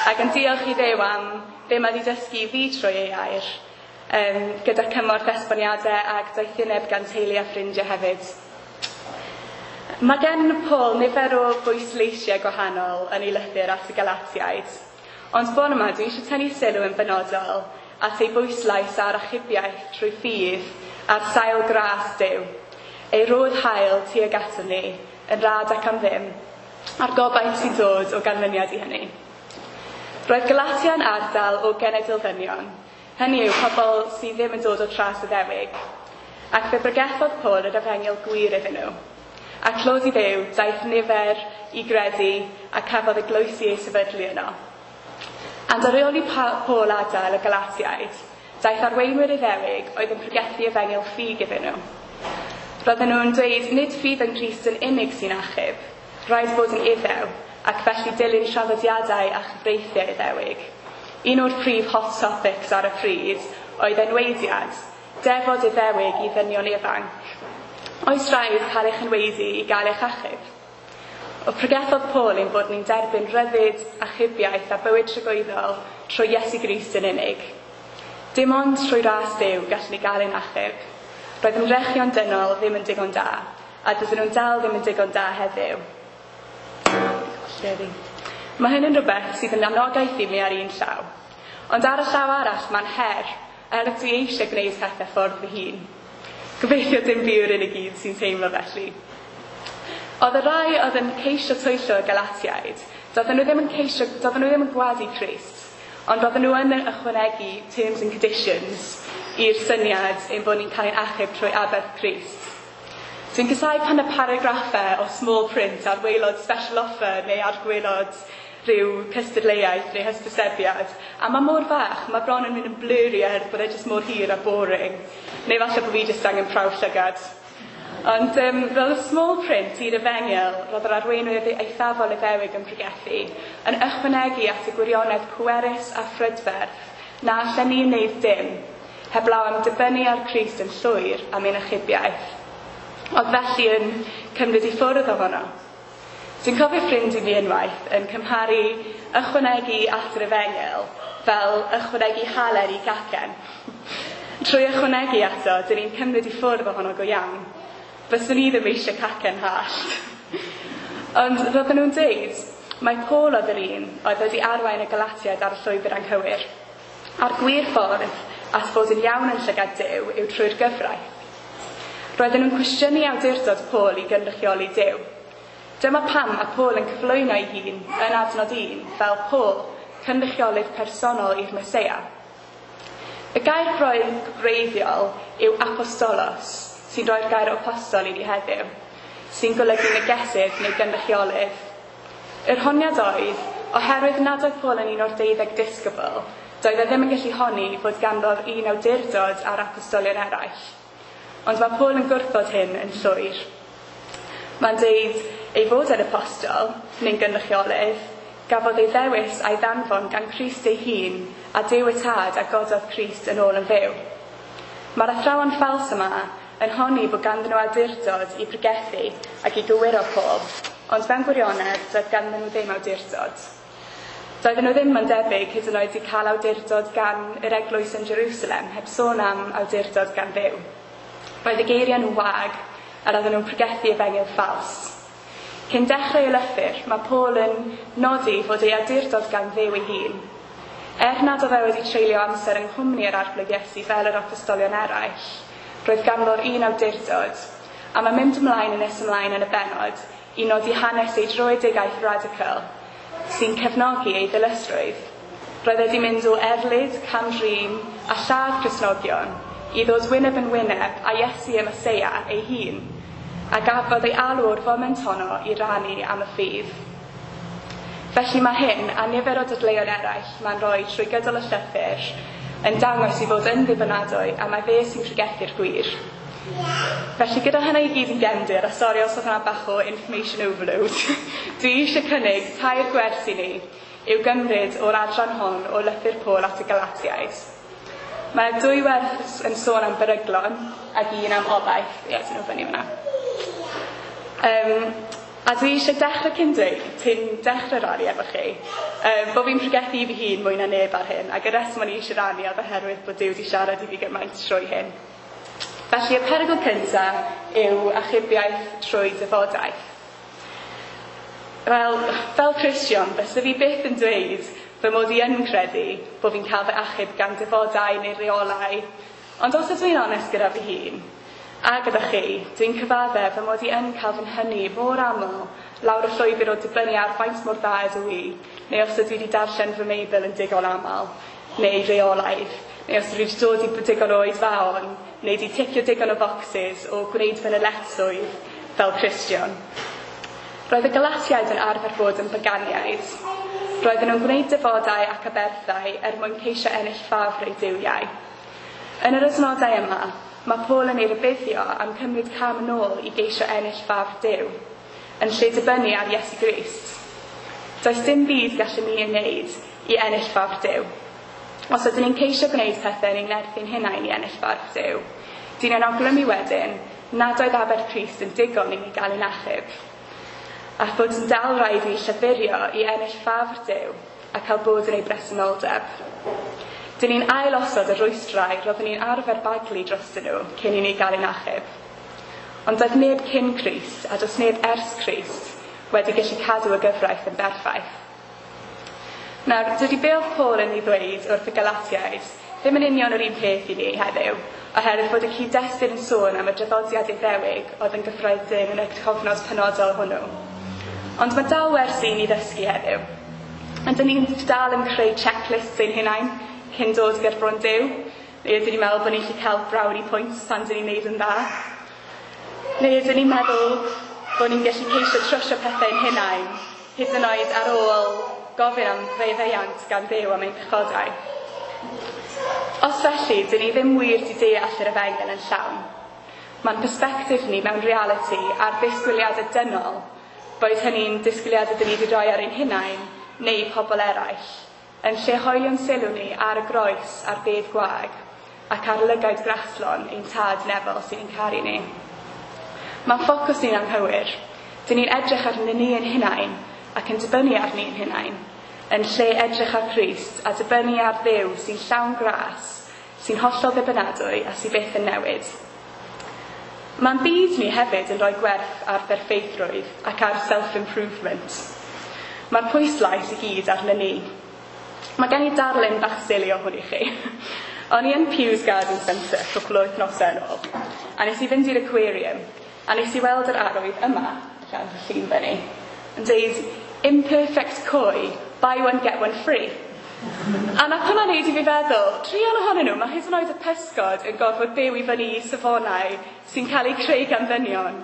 ac yn diolch i Dduw am be mae wedi dysgu i fi trwy ei air, um, gyda cymorth esboniadau ac doethineb gan teulu a ffrindiau hefyd. Mae gen Paul nifer o bwysleisiau gwahanol yn ei lythyr at y Galatiaid, ond bore yma dwi eisiau tynnu sylw yn benodol at ei bwyslais ar achubiaeth trwy ffydd ar sail gras Duw, ei rodd hael tuag aton ni, yn rhad ac am ddim, a'r gobaith sy'n dod o ganlyniad i hynny. Roedd Galatia yn ardal o genedl ddynion, hynny yw pobl sydd ddim yn dod o tras Iddewig, ac fe bregethodd Paul yr efengyl gwir iddyn nhw. A clod i Dduw, daeth nifer i gredu a cafodd eglwysi ei sefydlu yno. Ond ar ôl i Paul adael y Galatiaid, daeth arweinwyr Iddewig oedd yn pregethu efengyl ffug iddyn nhw. Roedden nhw'n dweud nid ffydd yn Crist yn unig sy'n achub, rhaid bod yn Iddew, ac felly dilyn traddodiadau a chyfreithiau Iddewig. Un o'r prif hot topics ar y pryd oedd enweidiad, defod Iddewig i ddynion ifanc. Oes rhaid cael eich enweidi i gael eich achub? O pregethodd Paul ein bod ni'n derbyn rhyddid, achubiaeth a bywyd tragwyddol trwy Iesu Grist yn unig. Dim ond trwy ras Duw gallwn ni gael ein achub. Roedd ymdrechion dynol ddim yn digon da, a dydyn nhw'n dal ddim yn digon da heddiw. Mae hyn yn rhywbeth sydd yn anogaeth i mi ar un llaw. Ond ar y llaw arall mae'n her, er dwi eisiau gwneud pethau ffordd fy hun. Gobeithio dim fi yw'r unig un sy'n teimlo felly. Oedd y rai oedd yn ceisio twyllo y Galatiaid, doedden nhw ddim yn ceisio, doedden nhw ddim yn gwadu Crist, ond roedden nhw yn ychwanegu terms and conditions i'r syniad ein bod ni'n cael ein achub trwy aberth Crist. Dwi'n casáu pan y paragraffau o small print ar waelod special offer neu ar gwaelod rhyw cystadleuaeth neu hysbysebiad, a mae mor fach, mae bron yn mynd yn blurry oherwydd bod e jyst mor hir a boring. Neu falle bod fi jyst angen prawf llygad. Ond um, roedd y small print i'r efengyl, roedd yr arweinwyr eithafol Iddewig yn pregethu, yn ychwanegu at y gwirionedd pwerus a phrydferth na allen ni wneud dim, heblaw am dibynnu ar Crist yn llwyr am ein achubiaeth. Oedd felly yn cymryd i ffwrdd ohono. Dwi'n cofio ffrind i fi unwaith yn cymharu ychwanegu at yr efengyl fel ychwanegu halen i gacen. Trwy ychwanegu ato, dyn ni'n cymryd i ffwrdd ohono go iawn. Byswn i ddim eisiau cacen hallt. Ond roedden nhw'n dweud, mae Paul oedd yr un oedd wedi arwain y Galatiaid ar y llwybr anghywir. A'r gwir ffordd at fod yn iawn yn llygad Duw yw trwy'r gyfraith. Roedden nhw'n cwestiynu awdurdod Paul i gynrychioli Duw. Dyma pam mae Paul yn cyflwyno ei hun yn adnod un fel Paul, cynrychiolydd personol i'r Meseia. Y gair gwreiddiol yw apostolos, sy'n rhoi'r gair apostol i ni heddiw, sy'n golygu negesydd neu gynrychiolydd. Yr honiad oedd, oherwydd nad oedd Paul yn un o'r deuddeg disgybl, doedd e ddim yn gallu honni fod ganddo'r un awdurdod a'r apostolion eraill. Ond mae Paul yn gwrthod hyn yn llwyr. Mae'n deud ei fod yn apostol, neu'n gynrychiolydd, gafodd ei ddewis a'i ddanfon gan Crist ei hun a Duw y Tad a gododd Crist yn ôl yn fyw. Mae'r athrawon ffals yma yn honni bod ganddyn nhw awdurdod i pregethu ac i gywiro Paul, ond mewn gwirionedd doedd ganddyn nhw ddim awdurdod. Doedden nhw ddim yn debyg hyd yn oed i cael awdurdod gan yr eglwys yn Jerusalem, heb sôn am awdurdod gan Dduw. Roedd y geiriau nhw'n wag a roedden nhw'n pregethu efengyl ffals. Cyn dechrau y lythyr, mae Paul yn nodi fod ei awdurdod gan Dduw ei hun. Er nad oedd e wedi treulio amser yng nghwmni yr Arglwydd Iesu fel yr apostolion eraill, roedd ganddo'r un awdurdod, a mae'n mynd ymlaen yn nes ymlaen yn y bennod i nodi hanes ei dröedigaeth radical, sy'n cefnogi ei ddilysrwydd. Roedd wedi mynd o erlid, cam-drin a lladd Cristnogion i ddod wyneb yn wyneb a Iesu y Meseia ei hun, a gafodd ei alw o'r foment honno i rannu am y ffydd. Felly mae hyn, a nifer o dadleuon eraill mae'n rhoi trwy gydol y llythyr, yn dangos i fod yn ddibynadwy a mae fe sy'n pregethu'r gwir. Felly gyda hynny i gyd yn gefndir, a sori os oedd hwnna bach o information overload, dwi eisiau cynnig tair gwers i ni i'w gymryd o'r adran hon o lythyr Paul at y Galatiaid. Mae dwy wers yn sôn am beryglon ac un am obaith. Ie, dyn nhw fyny fyna. Um, a dwi eisiau dechrau cyn dweud, cyn dechrau rannu efo chi, um, bod fi'n pregethu i fi hun mwy na neb ar hyn, ac y reswm o'n i eisiau rannu oedd oherwydd bod Duw wedi siarad i fi gymaint trwy hyn. Felly y perygl cyntaf yw achubiaeth trwy dyfodaeth. Wel, fel Cristion, fysa fi byth yn dweud fy mod i yn credu bod fi'n cael fy achub gan defodau neu reolau, ond os ydw i'n onest gyda fy hun, a gyda chi, dwi'n cyfaddef fy mod i yn cael fy nhynnu mor aml lawr y llwybr o dibynnu ar faint mor dda ydw i, neu os ydw i wedi darllen fy Meibl yn digon aml, neu reolaidd, neu os ydw i wedi dod i digon o oedfaon, neu wedi ticio digon o boxes o gwneud fy nyletswydd fel Cristion. Roedd y Galatiaid yn arfer bod yn baganiaid. Roedden nhw'n gwneud defodau ac aberthau er mwyn ceisio ennill ffafr eu duwiau. Yn yr adnodau yma, mae Paul yn ei rybuddio am cymryd cam yn ôl i geisio ennill ffafr Duw, yn lle dibynnu ar Iesu Grist. Does dim byd gallwn ni ei wneud i ennill ffafr Duw. Os ydyn ni'n ceisio gwneud pethau yn ein nerthu'n hunain i ennill ffafr Duw, dyn ni'n awgrymu wedyn nad oedd aberth Crist yn digon i ni gael ein achub, a fod yn dal rhaid i ni llafurio i ennill ffafr Duw a cael bod yn ei bresenoldeb. Dyn ni'n ail-osod y rwystrau roeddwn ni'n arfer baglu drostyn nhw cyn i ni gael ein achub. Ond doedd neb cyn Crist a does neb ers Crist wedi gallu cadw y gyfraith yn berffaith. Nawr, dydy be oedd Paul yn ei ddweud wrth y Galatiaid ddim yn union yr un peth i ni heddiw, oherwydd fod y cyd-destun yn sôn am y draddodiad Iddewig oedd yn gyffredin yn y cofnod penodol hwnnw. Ond mae dal wersi i ni ddysgu heddiw. A dyn ni'n dal yn creu checklists ein hunain cyn dod ger bron Duw, neu ydyn ni'n meddwl bod ni'n gallu cael brownie points pan dyn ni'n neud yn dda? Neu ydyn ni'n meddwl bod ni'n gallu ceisio trwsio pethau ein hunain, hyd yn oed ar ôl gofyn am faddeuant gan Dduw am ein pechodau? Os felly, dyn ni ddim wir di deall yr efengyl yn llawn. Mae'n perspectif ni mewn realiti ar ddisgwyliadau dynol, boed hynny'n disgwyliadau dyn ni wedi rhoi ar ein hunain neu pobl eraill, yn lle hoelio'n sylw ni ar y groes a'r bedd gwag ac ar lygaid graslon ein tad nefol sy'n ein caru ni. Mae'n ffocws ni'n anghywir. Dyn ni'n edrych arnyn ni ein hunain ac yn dibynnu ar ni'n hunain, yn lle edrych ar Crist a dibynnu ar Dduw sy'n llawn gras, sy'n hollol ddibynadwy a sy'n byth yn newid. Mae'n byd ni hefyd yn rhoi gwerth ar berffeithrwydd ac ar self-improvement. Mae'r pwyslais i gyd arnyn ni. Mae gen i darlun bach sili o hwn i chi. O'n i yn Pews Garden Centre cwpl o wythnosau yn ôl, a nes i fynd i'r aquarium, a nes i weld yr arwydd yma, allan fy llun fyny, yn dweud, imperfect koi, buy one get one free. A nath hwnna neud i fi feddwl, druan ohonyn nhw, mae hyd yn oed y pysgod yn gorfod byw i fyny i safonau sy'n cael eu creu gan ddynion.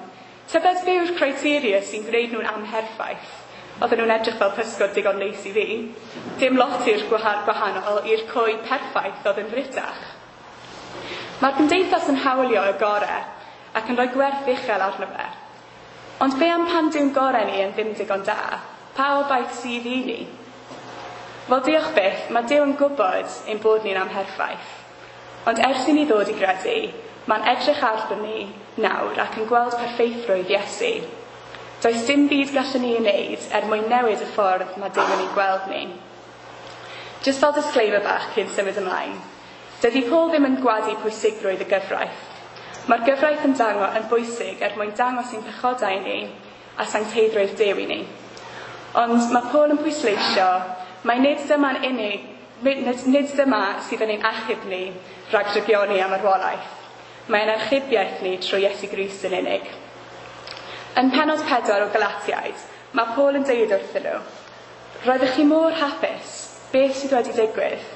Tybed be yw'r criteria sy'n gwneud nhw'n amherffaith? Oedden nhw'n edrych fel pysgod digon neis i fi. Dim lot i'r gwahanol i'r koi perffaith oedd yn fritach. Mae'r gymdeithas yn hawlio y gore ac yn rhoi gwerth uchel arno fe. Ond be am pan dyw'n gore ni yn ddim digon da? Pa obaith sydd i ni? Wel, diolch byth, mae Duw yn gwybod ein bod ni'n amherffaith. Ond ers i ni ddod i gredu, mae'n edrych arno ni nawr ac yn gweld perffeithrwydd Iesu. Does dim byd gallwn ni ei wneud er mwyn newid y ffordd mae Duw yn ei gweld ni. Just fel disclaimer bach cyn symud ymlaen, dydy Paul ddim yn gwadu pwysigrwydd y gyfraith. Mae'r gyfraith yn dangos yn bwysig er mwyn dangos ein pechodau ni a sancteiddrwydd Duw i ni. Ond mae Paul yn pwysleisio mai nid dyma'n unig, nid, nid dyma sydd yn ein achub ni rhag drygioni am marwolaeth. Mae'n archubiaeth ni trwy Iesu Grist yn unig. Yn pennod pedwar o Galatiaid, mae Paul yn dweud wrthyn nhw, roeddech chi mor hapus, beth sydd wedi digwydd?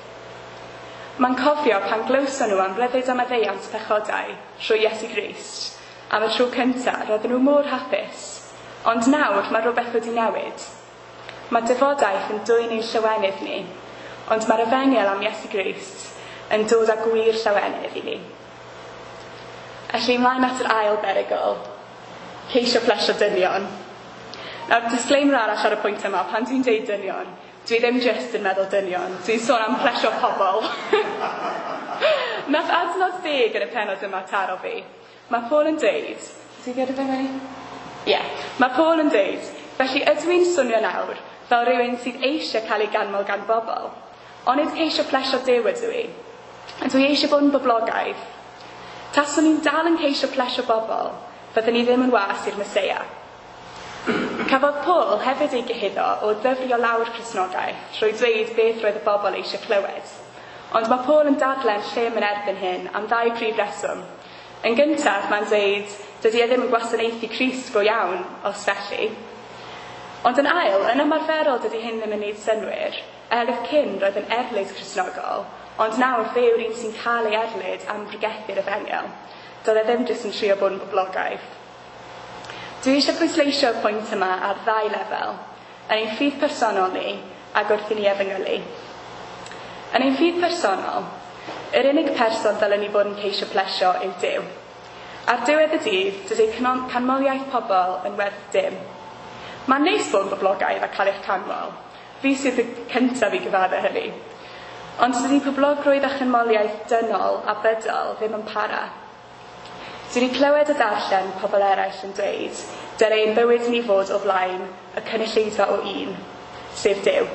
Mae'n cofio pan glywson nhw am ryddid a maddeuant pechodau trwy Iesu Grist, am y tro cyntaf, roedden nhw mor hapus. Ond nawr mae rhywbeth wedi newid. Mae defodaeth yn dwyn ein llawenydd ni, ond mae'r efengyl am Iesu Grist yn dod â gwir llawenydd i ni. Felly ymlaen at yr ail berygl, ceisio plesio dynion. Nawr, disclaimer arall ar y pwynt yma, pan dwi'n deud dynion, dwi ddim jyst yn meddwl dynion, dwi'n sôn am plesio pobl. Nath adnod deg yn y pennod yma taro fi. Mae Paul yn deud, ti'n gyda fe fyny? Ie. Yeah. Mae Paul yn deud, felly ydw i'n swnio nawr fel rhywun sydd eisiau cael ei ganmol gan bobl, onid ceisio plesio Duw ydw i? Ydw i eisiau bod yn boblogaidd? Taswn i'n dal yn ceisio plesio bobl, fyddwn i ddim yn was i'r Meseia. Cafodd Paul hefyd ei gyhuddo o ddyfrio lawr Cristnogaeth trwy dweud beth roedd y bobl eisiau clywed. Ond mae Paul yn dadlen llym yn erbyn hyn am ddau prif reswm. Yn gyntaf, mae'n dweud, dydy e ddim yn gwasanaethu Crist go iawn, os felly. Ond yn ail, yn ymarferol dydy hyn ddim yn neud synnwyr, oherwydd cyn roedd yn erlid Cristnogol, ond nawr fe yw'r un sy'n cael ei erlid am bregethu'r efengyl. Doedd e ddim jyst yn trio bod yn boblogaidd. Dwi eisiau pwysleisio'r pwynt yma ar ddau lefel, yn ein ffydd personol ni ac wrth i ni efengylu. Yn ein ffydd personol, yr unig person ddylen ni fod yn ceisio plesio yw Duw. Ar diwedd y dydd, dydy canmoliaeth pobl yn werth dim. Mae'n neis bod yn boblogaidd a cael eich canmol. Fi sydd y cyntaf i gyfadde hynny. Ond dydy poblogrwydd a chanmoliaeth dynol a bydol ddim yn para. Dwi wedi clywed a darllen pobl eraill yn dweud, dyle ein bywyd ni fod o flaen y cynulleidfa o un, sef Duw.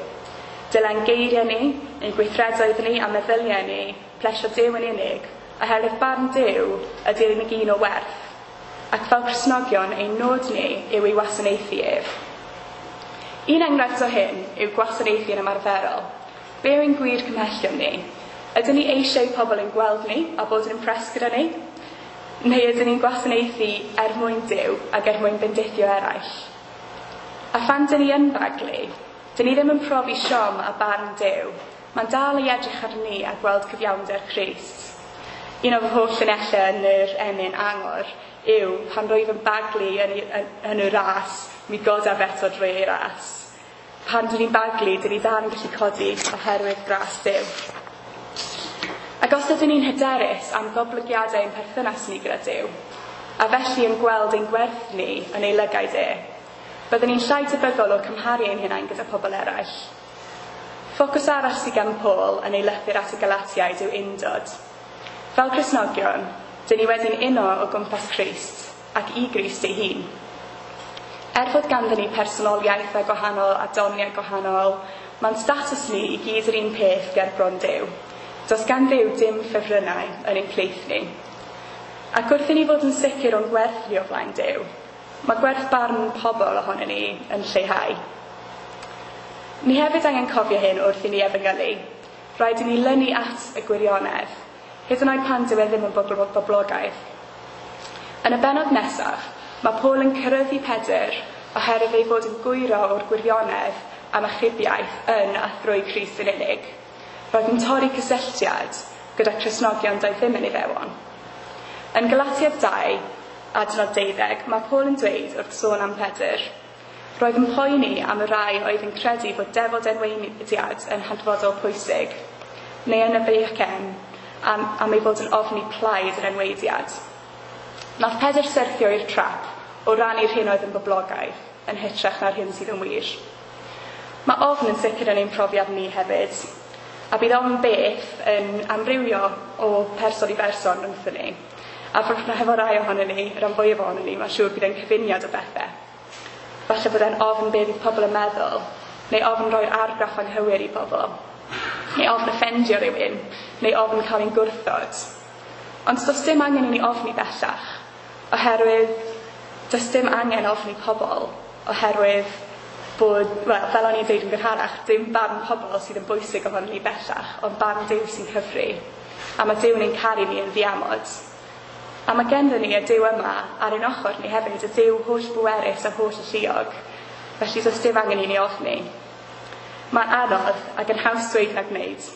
Dyle'n geiriau ni, ein gweithredoedd ni a meddyliau ni, plesio Duw yn unig, oherwydd barn Duw ydy'r unig un o werth. Ac fel Cristnogion, ein nod ni yw ei wasanaethu ef. Un enghraifft o hyn yw gwasanaethu yn ymarferol. Be yw ein gwir cymhellion ni? Ydyn ni eisiau pobl yn gweld ni a bod yn impressed gyda ni? Neu ydyn ni'n gwasanaethu er mwyn Duw ac er mwyn bendithio eraill? A phan dyn ni yn baglu, dyn ni ddim yn profi siom a barn Duw. Mae'n dal i edrych ar ni a gweld cyfiawnder Crist. Un o fy holl llinellau yn yr emyn angor yw pan rwyf yn baglu yn, yn, yn y ras, mi godaf eto drwy ei ras. Pan dyn ni'n baglu, dyn ni dal yn gallu codi oherwydd gras Duw. Ac os ydyn ni'n hyderus am goblygiadau ein perthynas ni gyda Duw, a felly yn gweld ein gwerth ni yn ei lygaid e, byddwn ni'n llai tebygol o cymharu ein hunain gyda pobl eraill. Ffocws arall sydd gan Paul yn ei lythyr at y Galatiaid yw undod. Fel Cristnogion, dyn ni wedi'n uno o gwmpas Crist ac i Grist ei hun. Er fod ganddyn ni personoliaethau gwahanol a doniau gwahanol, mae'n status ni i gyd yr un peth ger bron Duw. Does gan Dduw dim ffefrynnau yn ein plith ni. Ac wrth i ni fod yn sicr o'n gwerth ni o flaen Duw, mae gwerth barn pobl ohonon ni yn lleihau. Ni hefyd angen cofio hyn wrth i ni efengylu. Rhaid i ni lynu at y gwirionedd, hyd yn oed pan dyw e ddim yn boblogaidd. Yn y bennod nesaf, mae Paul yn cyrraeddu Pedr oherwydd ei fod yn gwyro o'r gwirionedd am achubiaeth yn a thrwy Crist yn unig. Roedd yn torri cysylltiad gyda Cristnogion doedd ddim yn Iddewon. Yn Galatiaid dau, adnod deuddeg, mae Paul yn dweud wrth sôn am Pedr, roedd yn poeni am y rai oedd yn credu fod defod enweiniad yn hanfodol pwysig, neu yn y beichen am, am ei fod yn ofni plaid yr enweidiad. Nath Pedr syrthio i'r trap o rannu'r hyn oedd yn boblogaidd, yn hytrach na'r hyn sydd yn wir. Mae ofn yn sicr yn ein profiad ni hefyd, a bydd ofn beth yn amrywio o person i berson rhwngthyn ni. A hefo rai ohonon ni, rhan fwyaf ohonon ni, mae'n siŵr bydd e'n cyfuniad o bethau. Falle bod e'n ofn beth fydd pobl yn meddwl, neu ofn roi'r argraff anghywir i bobl, neu ofn offendio rhywun, neu ofn cael ein gwrthod. Ond does dim angen i ni ofni bellach, oherwydd does dim angen ofni pobl, oherwydd bod, wel, fel o'n i'n dweud yn gynharach, dim barn pobl sydd yn bwysig ohonon ni bellach, ond barn Duw sy'n cyfri. A mae Duw yn ein caru ni yn ddiamod. A mae genddyn ni y Duw yma ar ein ochr ni hefyd, y Duw holl bwerus a holl alluog. Felly does dim angen i ni ofni. Mae'n anodd ac yn haws dweud na gwneud.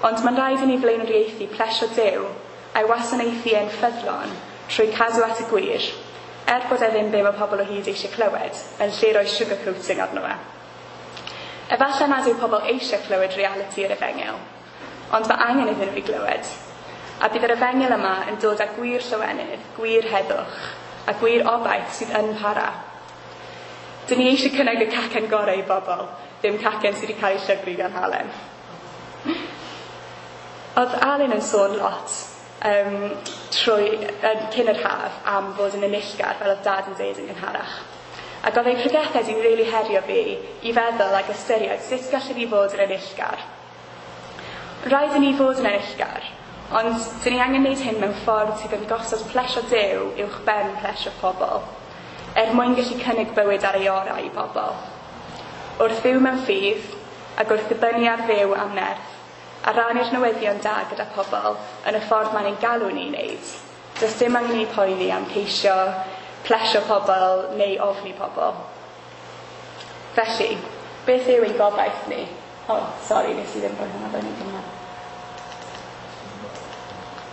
Ond mae'n rhaid i ni flaenoriaethu plesio Duw a'i wasanaethu e'n ffyddlon trwy cadw at y gwir, er bod e ddim be mae pobl o hyd eisiau clywed, yn lle rhoi sugarcoating arno fe. Efallai nad yw pobl eisiau clywed realiti yr efengyl, ond mae angen iddyn nhw i glywed. A bydd yr efengyl yma yn dod â gwir llawenydd, gwir heddwch, a gwir obaith sydd yn para. Dyn ni eisiau cynnig y cacen gorau i bobl, ddim cacen sydd wedi cael ei llygru gan halen. Oedd Alun yn sôn lot um, trwy, uh, cyn yr haf am fod yn enillgar, fel oedd Dad yn dweud yn gynharach. Ac oedd ei pregethau wedi rili herio fi i feddwl ac ystyried sut gallwn ni fod yn enillgar. Rhaid i ni fod yn enillgar, ond dyn ni angen gwneud hyn mewn ffordd sydd yn gosod plesio Duw uwch ben plesio pobl, er mwyn gallu cynnig bywyd ar ei orau i bobl. Wrth fyw mewn ffydd, ac wrth ddibynnu ar Dduw am nerth, a rannu'r newyddion da gyda pobl yn y ffordd mae'n ein galw ni i wneud. Does dim angen i ni poeni am ceisio plesio pobl neu ofni pobl. Felly, beth yw ein gobaith ni? O, oh, sori, nes i ddim rhoi hwnna fyny gyda.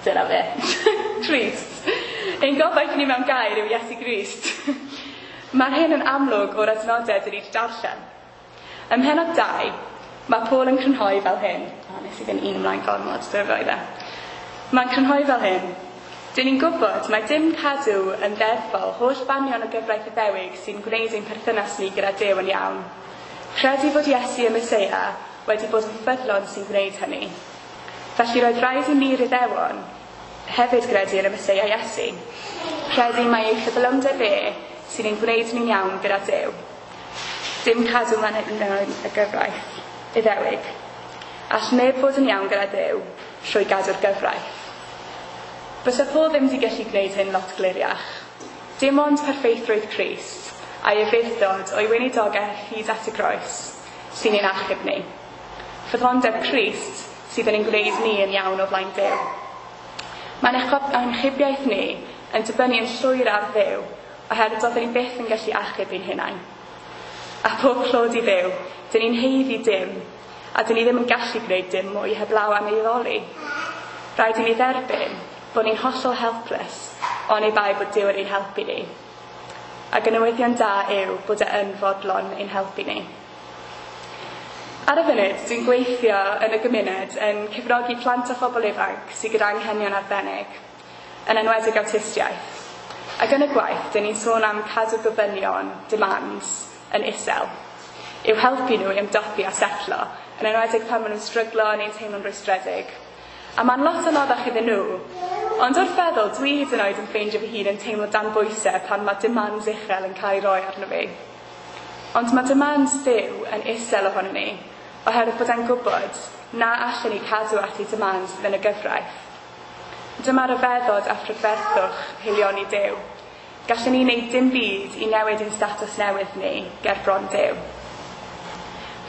Dyna fe. Crist. Ein gobaith ni mewn gair yw Iesu Grist. Mae'r hyn yn amlwg o'r adnodau dyn ni wedi darllen. Ym mhennod dau, mae Paul yn crynhoi fel hyn. O, nes i fynd un ymlaen gormod, dyna fe oedd e. Mae'n crynhoi fel hyn. Dyn ni'n gwybod mae dim cadw yn ddeddfol holl fanion y gyfraith Iddewig sy'n gwneud ein perthynas ni gyda Duw yn iawn. Credu fod Iesu y Meseia wedi bod yn ffyddlon sy'n gwneud hynny. Felly roedd rhaid i ni'r Iddewon hefyd gredu yn y Meseia Iesu. Credu mai ei ffyddlondeb e sy'n ein gwneud ni'n iawn gyda Duw. Dim cadw manylion y gyfraith Iddewig. All neb fod yn iawn gyda Duw trwy gadw'r gyfraith. Bysa Paul ddim wedi gallu gwneud hyn lot gliriach. Dim ond perffeithrwydd Crist a'i ufudd-dod o'i weinidogaeth hyd at y groes sy'n ein achub ni. Ffyddlondeb Crist sydd yn ein gwneud ni yn iawn o flaen Duw. Mae'n achubiaeth ni yn dibynnu yn llwyr ar Dduw, oherwydd doeddwn ni byth yn gallu achub ein hunain. A pob clod i Dduw, dyn ni'n haeddu dim, a dyn ni ddim yn gallu gwneud dim mwy heblaw am ei addoli. Rhaid i ni dderbyn bod ni'n hollol helpless, oni bai bod Duw yn ein helpu ni. Ac y newyddion da yw bod e yn fodlon ein helpu ni. Ar y funud, dwi'n gweithio yn y gymuned yn cefnogi plant a phobl ifanc sydd gyda anghenion arbennig, yn enwedig awtistiaeth. Ac yn y gwaith, dyn ni'n sôn am cadw gofynion, demands, yn isel, i'w helpu nhw i ymdopi a setlo, yn enwedig pan maen nhw'n stryglo neu'n teimlo'n rwystredig. A mae'n lot anoddach iddyn nhw, ond wrth feddwl, dwi hyd yn oed yn ffeindio fy hun yn teimlo dan bwysau pan mae demands uchel yn cael ei roi arno fi. Ond mae demands Duw yn isel ohono ni, oherwydd bod e'n gwybod na allan ni cadw at ei demands yn y gyfraith. Dyma ryfeddod a phrydferthwch haelioni Duw. Gallwn ni wneud dim byd i newid ein statws newydd ni ger bron Duw.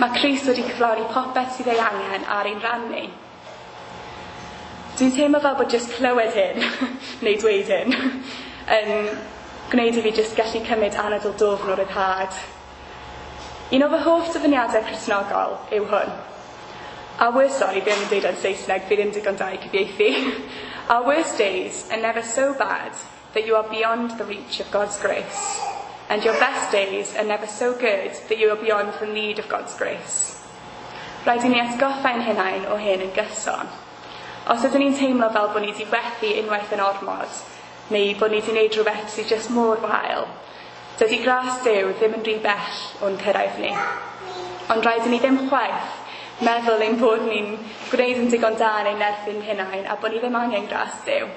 Mae Crist wedi cyflawni popeth sydd ei angen ar ein rhan ni. Dwi'n teimlo fel bod jyst clywed hyn, neu dweud hyn, yn gwneud i fi jyst gallu cymryd anadl dwfn o ryddhad. Un o fy hoff dyfyniadau Cristnogol yw hwn. Our worst, sorry, fi ddim yn dweud yn Saesneg, fi ddim digon da i cyfieithu. Our worst days are never so bad that you are beyond the reach of God's grace. And your best days are never so good that you are beyond the need of God's grace. Rhaid i ni atgoffa ein hunain o hyn yn gyson. Os ydyn ni'n teimlo fel bod ni wedi fethu unwaith yn ormod, neu bod ni wedi gwneud rhywbeth sydd jyst mor wael, dydy gras Duw ddim yn rhy bell o'n cyrraedd ni. Ond rhaid i ni ddim chwaith meddwl ein bod ni'n gwneud yn digon da yn ein nerth ein hunain a bod ni ddim angen gras Duw.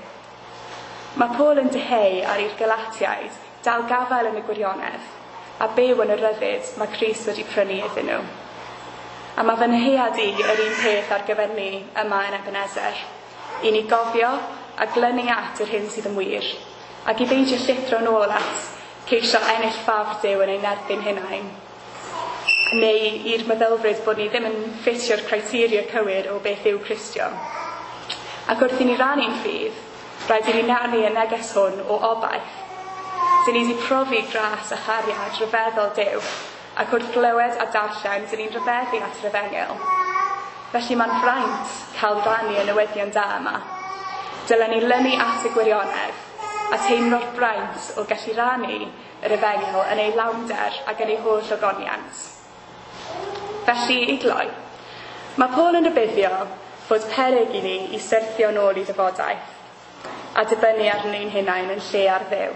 Mae Paul yn dyheu ar i'r Galatiaid dal gafael yn y gwirionedd a byw yn y ryddid mae Crist wedi prynu iddyn nhw. A mae fy nyhead i yr un peth ar gyfer ni yma yn Ebenezer. I ni gofio a glynu at yr hyn sydd yn wir, ac i beidio llithro nôl at ceisio ennill ffafr Duw yn ein erbyn hunain, neu i'r meddylfryd bod ni ddim yn ffitio'r criteria cywir o beth yw Cristion. Ac wrth i ni rannu'n ffydd, rhaid i ni rannu y neges hwn o obaith. Dyn ni wedi profi gras a chariad rhyfeddol Duw, ac wrth glywed a darllen, dyn ni'n rhyfeddu at yr efengyl. Felly mae'n fraint cael rannu y newyddion da yma. Dylen ni lynu at y gwirionedd a teimlo'r braint o gallu rannu yr efengyl yn ei lawnder ac yn ei holl ogoniant. Felly, i gloi, mae Paul yn rhybuddio fod peryg i ni i syrthio nôl i ddyfodaeth a dibynnu ar ni'n hunain yn lle ar Dduw.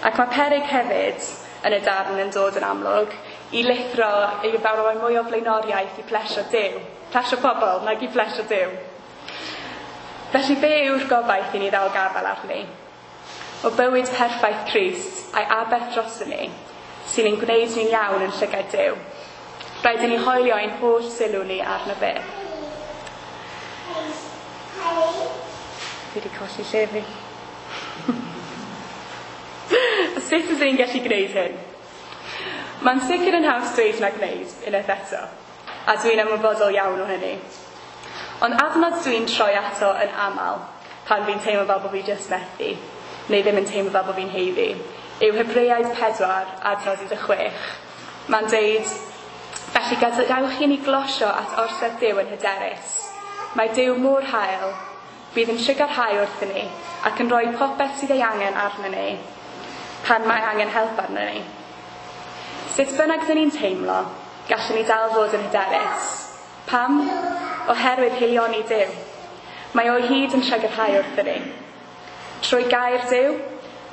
Ac mae peryg hefyd yn y darn yn dod yn amlwg i lithro i roi mwy o flaenoriaeth i plesio Duw, plesio pobl nag i plesio Duw. Felly be yw'r gobaith i ni ddal gafael arni? O bywyd perffaith Crist a'i aberth droson ni, sy'n ein gwneud ni'n iawn yn llygaid Duw. Rhaid i ni hoelio ein holl sylw ni arno fe. Fi wedi colli lle fi. Sut ydyn ni'n gallu gwneud hyn? Mae'n sicr yn haws dweud na gwneud, unwaith eto, a dwi'n ymwybodol iawn o hynny. Ond adnod dwi'n troi ato yn aml, pan fi'n teimlo fel bod fi jyst methu, neu ddim yn teimlo fel bod fi'n haeddu, yw Hebreaid pedwar, adnod un deg chwech. Mae'n deud, felly gadewch i ni glosio at orsedd Duw yn hyderus. Mae Duw mor hael, bydd yn trugarhau wrthyn ni, ac yn rhoi popeth sydd ei angen arno ni, pan mae angen help arno ni. Sut bynnag dyn ni'n teimlo, gallwn ni dal fod yn hyderus. Pam? Oherwydd haelioni Duw. Mae o hyd yn trugarhau wrthyn ni. Trwy gair Duw,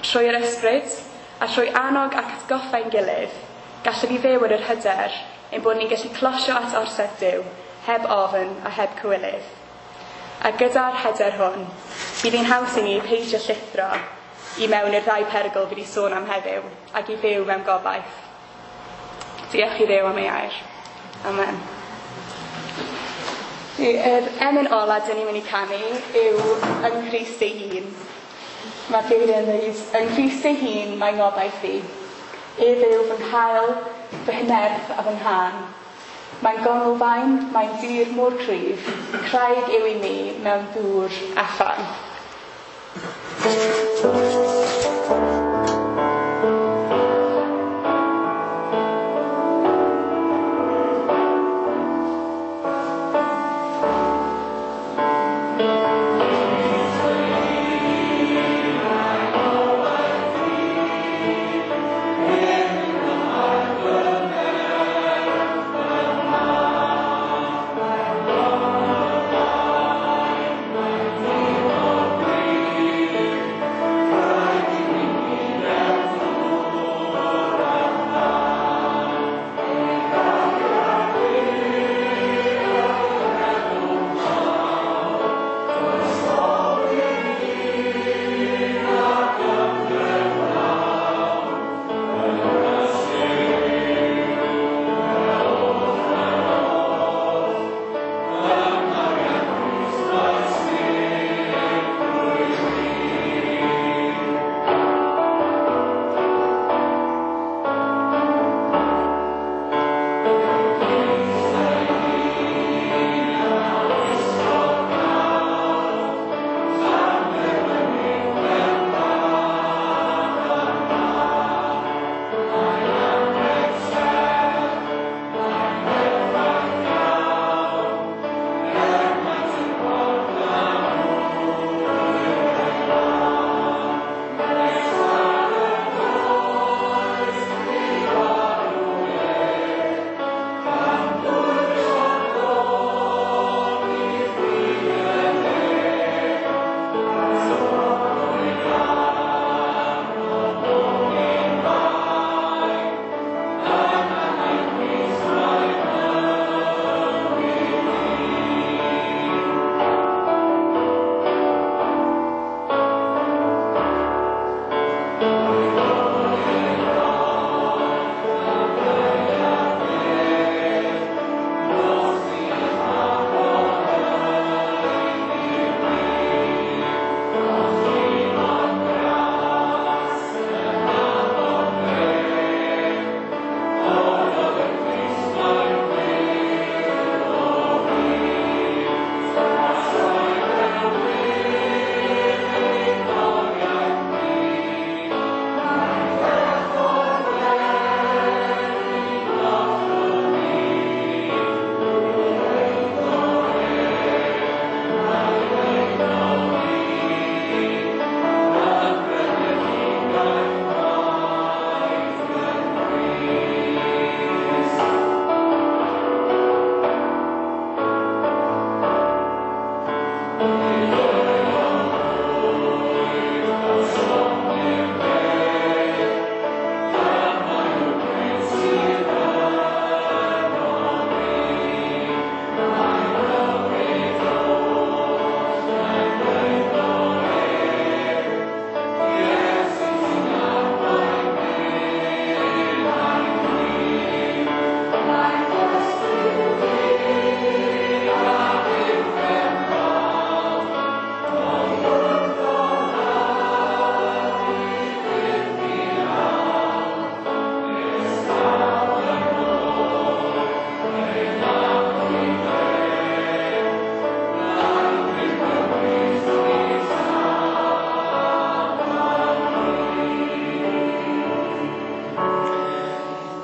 trwy'r ysbryd, a trwy annog ac atgoffa ein gilydd, gallwn ni fyw yn yr hyder ein bod ni'n gallu closio at orsedd Duw, heb ofn a heb cywilydd. A gyda'r hyder hwn, bydd hi'n haws i ni peidio llithro i mewn i'r ddau perygl fi wedi sôn am heddiw, ac i fyw mewn gobaith. Diolch i Dduw am ei air. Amen. Yr emyn ola dyn ni'n mynd i canu yw Yng Nghrist ei hun. Mae'r geiriau yn dweud, Yng Nghrist ei hun mae ngobaith i. Ef yw fy nghael, fy hynerth a fy nghân. Mae'n gonglfaen, mae'n dir mor cryf, craig yw i mi mewn dŵr a ffan. Bye.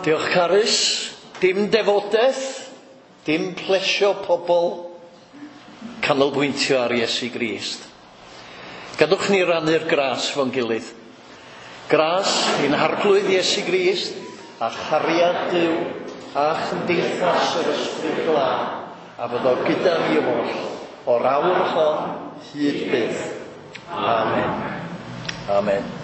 Diolch Carys. Dim defodaeth, dim plesio pobl, canolbwyntio ar Iesu Grist. Gadwch ni rannu'r gras fo'n gilydd. Gras i'n harglwydd Iesu Grist a chariad Duw a chymdeithas yr Ysbryd Glân a fyddo gyda ni oll o'r awr hon hyd byth. Amen. Amen.